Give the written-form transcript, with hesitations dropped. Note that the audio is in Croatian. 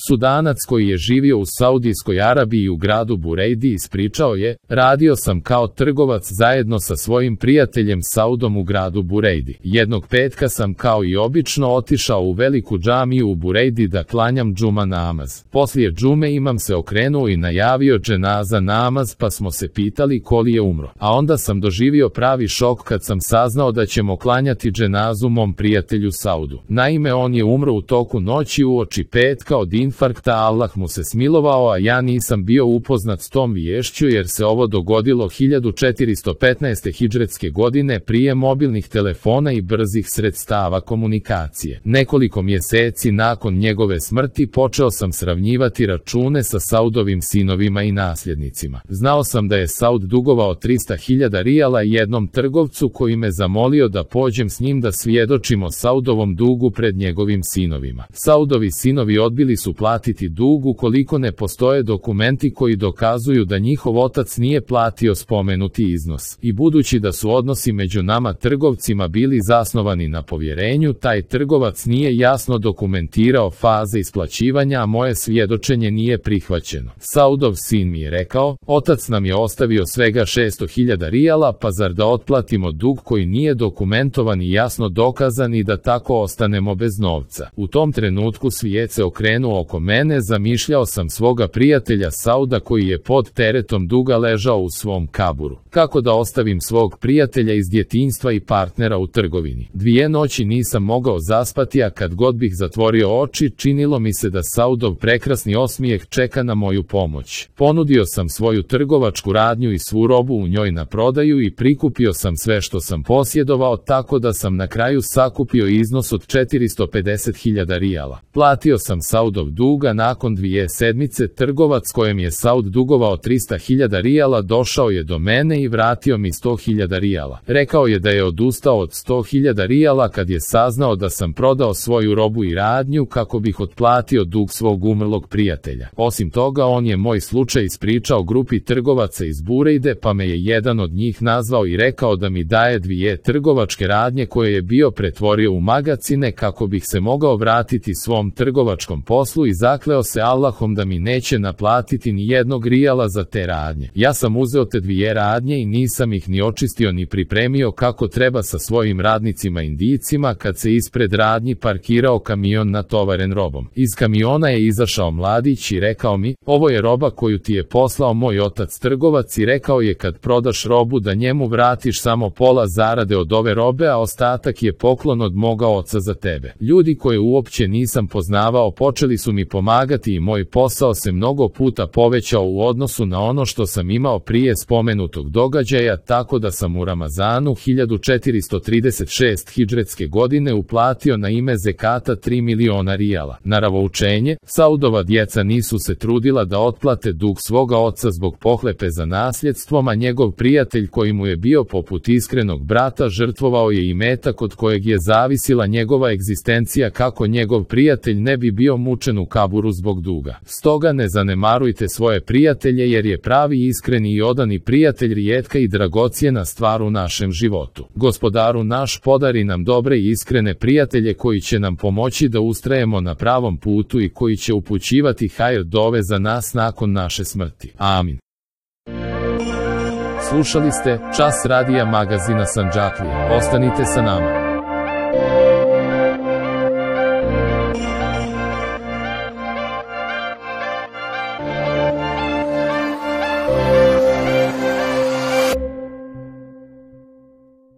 Sudanac koji je živio u Saudijskoj Arabiji u gradu Burejdi ispričao je: radio sam kao trgovac zajedno sa svojim prijateljem Saudom u gradu Burejdi. Jednog petka sam kao i obično otišao u veliku džamiju u Burejdi da klanjam džuma namaz. Poslije džume imam se okrenuo i najavio dženaza namaz, pa smo se pitali ko li je umro. A onda sam doživio pravi šok kad sam saznao da ćemo klanjati dženazu mom prijatelju Saudu. Naime, on je umro u toku noći uoči petka od infarkta, Allah mu se smilovao, a ja nisam bio upoznat s tom viješću jer se ovo dogodilo 1415. hidžretske godine prije mobilnih telefona i brzih sredstava komunikacije. Nekoliko mjeseci nakon njegove smrti počeo sam sravnjivati račune sa Saudovim sinovima i nasljednicima. Znao sam da je Saud dugovao 300.000 rijala jednom trgovcu koji me zamolio da pođem s njim da svjedočimo Saudovom dugu pred njegovim sinovima. Saudovi sinovi odbili su platiti dug ukoliko ne postoje dokumenti koji dokazuju da njihov otac nije platio spomenuti iznos. I budući da su odnosi među nama trgovcima bili zasnovani na povjerenju, taj trgovac nije jasno dokumentirao faze isplaćivanja, a moje svjedočenje nije prihvaćeno. Saudov sin mi je rekao: otac nam je ostavio svega 600.000 rijala, pa zar da otplatimo dug koji nije dokumentovan i jasno dokazan i da tako ostanemo bez novca. U tom trenutku svijet se okrenuo oko mene, zamišljao sam svoga prijatelja Sauda koji je pod teretom duga ležao u svom kaburu. Kako da ostavim svog prijatelja iz djetinjstva i partnera u trgovini? 2 noći nisam mogao zaspati, a kad god bih zatvorio oči, činilo mi se da Saudov prekrasni osmijeh čeka na moju pomoć. Ponudio sam svoju trgovačku radnju i svu robu u njoj na prodaju i prikupio sam sve što sam posjedovao, tako da sam na kraju sakupio iznos od 450.000 rijala. Platio sam Saudov duga nakon 2 sedmice. Trgovac kojem je Saud dugovao 300.000 rijala došao je do mene i vratio mi 100.000 rijala. Rekao je da je odustao od 100.000 rijala kad je saznao da sam prodao svoju robu i radnju kako bih otplatio dug svog umrlog prijatelja. Osim toga, on je moj slučaj ispričao grupi trgovaca iz Burejde, pa me je jedan od njih nazvao i rekao da mi daje 2 trgovačke radnje koje je bio pretvorio u magacine kako bih se mogao vratiti svom trgovačkom poslu i zakleo se Allahom da mi neće naplatiti ni jednog rijala za te radnje. Ja sam uzeo te 2 radnje i nisam ih ni očistio ni pripremio kako treba sa svojim radnicima Indijcima kad se ispred radnji parkirao kamion natovaren robom. Iz kamiona je izašao mladić i rekao mi: ovo je roba koju ti je poslao moj otac trgovac, i rekao je kad prodaš robu da njemu vratiš samo pola zarade od ove robe, a ostatak je poklon od moga oca za tebe. Ljudi koje uopće nisam poznavao počeli su mi pomagati i moj posao se mnogo puta povećao u odnosu na ono što sam imao prije spomenutog događaja, tako da sam u Ramazanu 1436 hidžretske godine uplatio na ime zekata 3 miliona rijala. Na ravoučenje, Saudova djeca nisu se trudila da otplate dug svoga oca zbog pohlepe za nasljedstvom, a njegov prijatelj koji mu je bio poput iskrenog brata žrtvovao je imetak od kojeg je zavisila njegova egzistencija kako njegov prijatelj ne bi bio mučen u kaburu zbog duga. Stoga ne zanemarujte svoje prijatelje, jer je pravi, iskreni i odani prijatelj rijetka i dragocjena stvar u našem životu. Gospodaru naš, podari nam dobre i iskrene prijatelje koji će nam pomoći da ustrajemo na pravom putu i koji će upućivati hajr dove za nas nakon naše smrti. Amin. Slušali ste Čas radija magazina Sandžaklije. Ostanite sa nama.